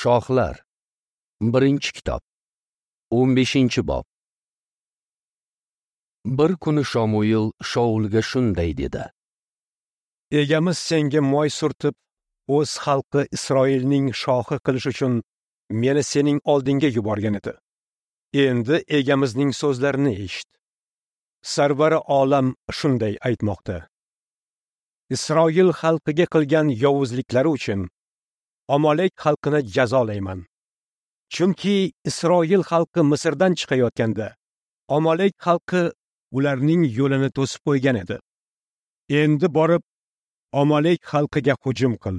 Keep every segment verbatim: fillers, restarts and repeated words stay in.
Shohlar, birinchi kitob, o'n beshinchi bob. Bir kuni Shomuil Shoulga shunday dedi: Egamiz senga moy surtib, o'z xalqi Isroilning shohi qilish uchun meni sening oldingga yuborgan edi. Endi egamizning so'zlarini eshit. Sarvari olam shunday aytmoqda: Isroil xalqiga qilgan yovuzliklari uchun Amalek xalqini jazolayman. Chunki Isroil xalqi Misrdan chiqayotganda Amalek xalqi ularning yo'lini to'sib qo'ygan edi. Endi borib Amalek xalqiga hujum qil.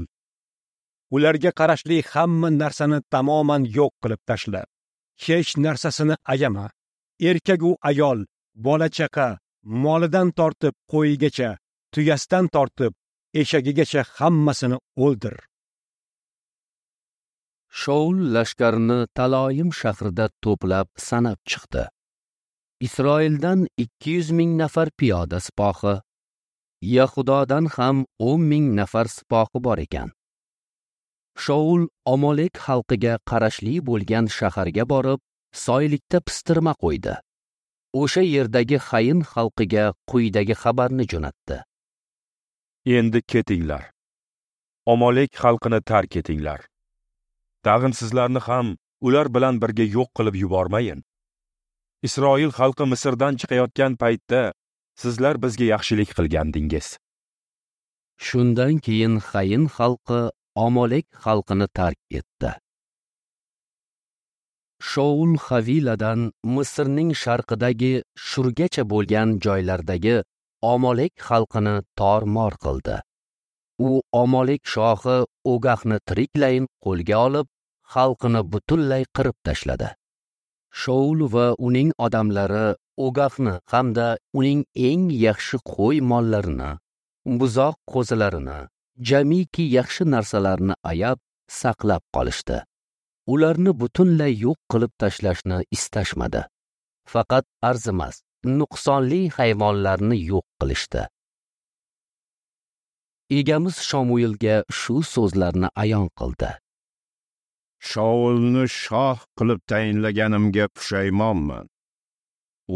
Ularga qarashli hamma narsani tamoman yo'q qilib tashla. Hech narsasini ayama. Erkak u ayol, bola chaqa, molidan tortib qo'yigacha, tuyasidan tortib eshagigacha hammasini o'ldir. Shoul lashkarini Taloyim shahrida to'plab sanab chiqdi. Isroildan ikki yuz ming nafar piyoda sipohi, Yahudodan ham o'n ming nafar sipohi bor ekan. Shoul Amalek xalqiga qarashli bo'lgan shaharga borib, soylikda pistirma qo'ydi. O'sha yerdagi Xayin xalqiga quyidagi xabarni jo'natdi: Endi ketinglar. Amalek xalqini tark etinglar. Tag'in sizlarni ham ular bilan birga yo'q qilib yubormayin. Isroil xalqi Misrdan chiqayotgan paytda sizlar bizga yaxshilik qilgandingiz. Shundan keyin Xayin xalqi Amalek xalqini tark etdi. Shoul Haviladan Misrning sharqidagi Shurgacha bo'lgan joylardagi Amalek xalqini tor-mor qildi. U Amalek shohi Ogahni tiriklayin qo'lga olib, xalqini butunlay qirib tashladi. Shoul va uning odamlari Ogahni hamda uning eng yaxshi qo'y mollarini, buzoq qo'zilarini, jamiki yaxshi narsalarni ayab saqlab qolishdi. Ularni butunlay yo'q qilib tashlashni istashmadi. Faqat arzimas, nuqsonli hayvonlarni yo'q qilishdi. Egamiz Shomuilga shu so'zlarni ayon qildi: Shoulni shoh qilib tayinlaganimga pushaymonman.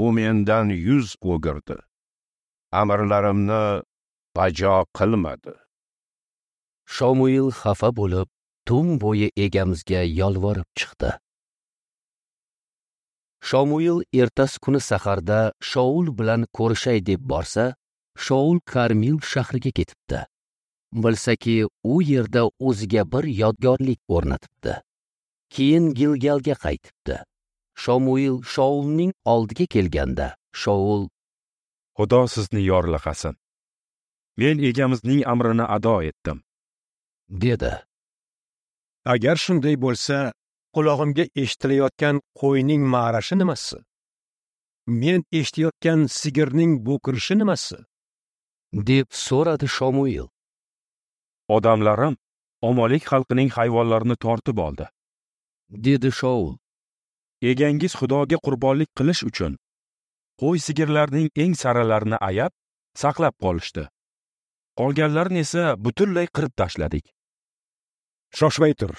U mendan yuz o'girdi. Amrlarimni bajo qilmadi. Shomuil xafa bo'lib, tun bo'yi egamizga yolvorib chiqdi. Shomuil ertasi kuni saharda Shoul bilan ko'rishay deb borsa, Shoul Karmil shahriga ketibdi. Bilsaki, u yerda o'ziga bir yodgorlik o'rnatibdi. Keyin Gilgalga qaytibdi. Shomuil Shoulning oldiga kelganda, Shoul: Xudo sizni yorlaqasin. Men egamizning amrini ado etdim, dedi. Agar shunday bo'lsa, qulog'imga eshitilayotgan qo'yning ma'rashi nimasi? Men eshitayotgan sigirning bo'kirishi nimasi? deb so'radi Shomuil. Odamlarim Amalek xalqining hayvonlarini tortib oldi, dedi Shoul. Egangiz Xudoga qurbonlik qilish uchun qo'y sigirlarning eng saralarini ayab saqlab qolishdi. Qolganlarini esa butunlay qirib tashladik. Shoshmay tur.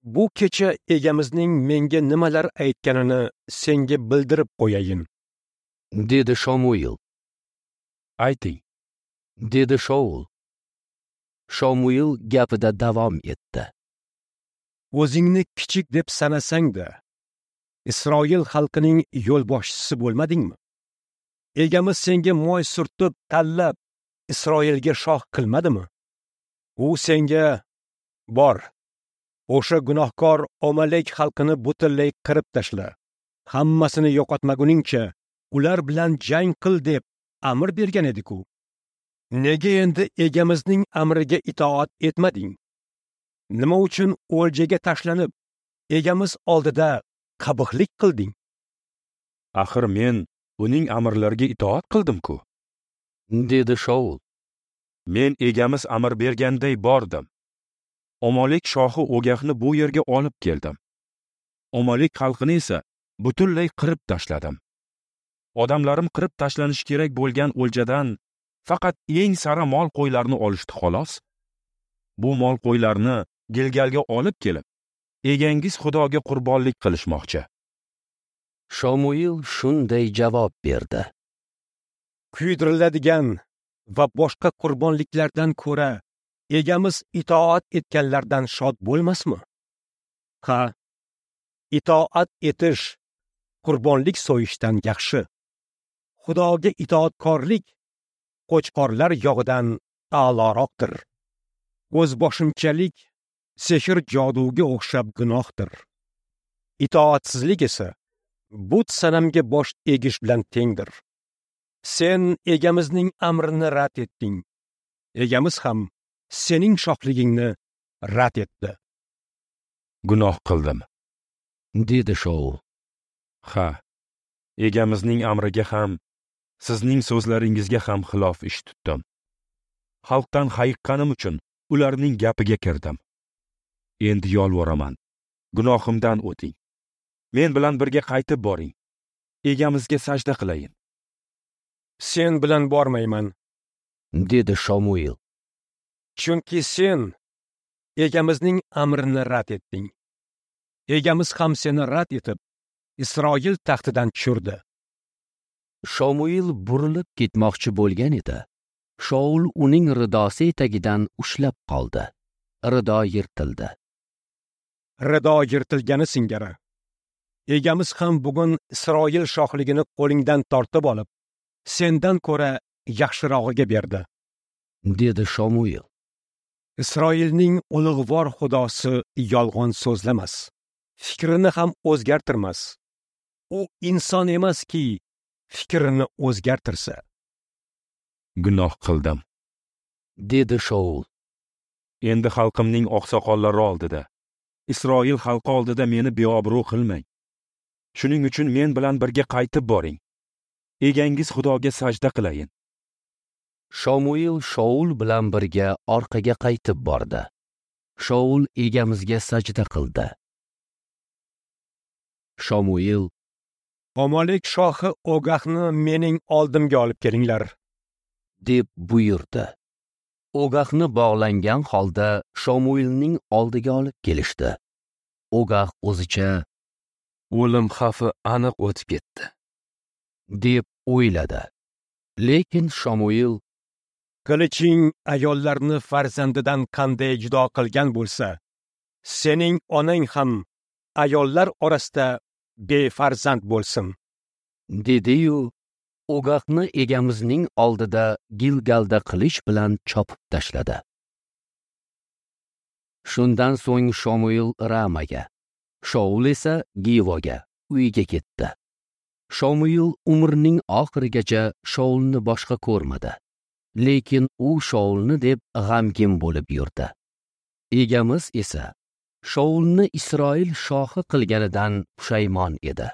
Bu kecha egamizning menga nimalar aytganini senga bildirib qo'yayin, dedi Shomuil. Ayting, dedi Shoul. Shomuil gapida davom etdi. O'zingni kichik deb sanasang-da, Isroil xalqining yo'lboshchisi bo'lmadingmi? Egamiz senga moy surtib, tanlab Isroilga shoh qilmadimi? U senga: bor, o'sha gunohkor Amalek xalqini butunlay qirib tashla, hammasini yo'qotmaguningcha ular bilan jang qil deb amr bergan edi-ku. Nega endi egamizning amriga itoat etmading? Nima uchun o'ljaga tashlanib, egamiz oldida qabihlik qilding? Axir men uning amrlariga itoat qildim-ku, dedi Shoul. Men egamiz amr berganday bordim. Amalek shohi Ogahni bu yerga olib keldim. Amalek xalqini esa butunlay qirib tashladim. Odamlarim qirib tashlanishi kerak bo'lgan o'ljadan faqat eng sara mol qo'ylarni olishdi xolos. Bu mol qo'ylarni Gilgalga olib kelib, Egangiz Xudoga qurbonlik qilishmoqchi. Shomuil shunday javob berdi: Kuydiriladigan va boshqa qurbonliklardan ko'ra Egamiz itoat etganlardan shod bo'lmasmi? Ha, itoat etish qurbonlik so'yishdan yaxshi. Xudoga itoatkorlik qo'chqorlar yog'idan a'loroqdir. O'zboshimchalik sehr joduga o'xshab gunohdir. Itoatsizlik esa but sanamga bosh egish bilan tengdir. Sen Egamizning amrini rad etding. Egamiz ham sening shohligingni rad etdi. Gunoh qildim, dedi Shaul. Ha, Egamizning amriga ham, sizning so'zlaringizga ham xilof ish tutdim. Xalqdan hayiqqanim uchun ularning gapiga kirdim. Endi yolvoraman, gunohimdan o'ting. Men bilan birga qaytib boring. Egamizga sajda qilayin. Sen bilan bormayman, dedi Shomuil. Chunki sen Egamizning amrini rad etding. Egamiz ham seni rad etib, Isroil taxtidan tushirdi. Shomuil burilib ketmoqchi bo'lgan edi. Shaul uning ridosi etagidan ushlab qoldi. Rido yirtildi. Rido yirtilgani singari Egamiz ham bugun Isroil shohligini qo'lingdan tortib olib, sendan ko'ra yaxshirog'iga berdi, dedi Shomuil. Isroilning ulug'vor Xudosi yolg'on so'zlamas, fikrini ham o'zgartirmas. U inson emaski, fikrini o'zgartirsa. Gunoh qildim, dedi Shaul. Endi xalqimning oqsoqollari oldida, Isroil xalqi oldida meni beobro' qilmang. Shuning uchun men bilan birga qaytib boring. Egangiz Xudoga sajda qilayin. Shomuil Shaul bilan birga orqaga qaytib bordi. Shaul Egamizga sajda qildi. Shomuil: Amalek shohi Ogahni mening oldimga olib kelinglar, deb buyurdi. Ogahni bog'langan holda Shomuilning oldiga olib kelishdi. Ogah o'zicha o'lim xavfi aniq o'tib ketdi, deb o'yladi. Lekin Shomuil: Qiliching ayollarni farzandidan qanday judo qilgan bo'lsa, sening onang ham ayollar orasida befarzand bo'lsin, dedi-yu Ogahni Egamizning oldida Gilgalda qilich bilan chopib tashladi. Shundan so'ng Shomuil Ramaga, Shaul esa Givoga, uyiga ketdi. Shomuil umrining oxirigacha Shaulni boshqa ko'rmadi. Lekin u Shaulni deb g'amgin bo'lib yurdi. Egamiz esa Shaulni Isroil shohi qilganidan pushaymon edi.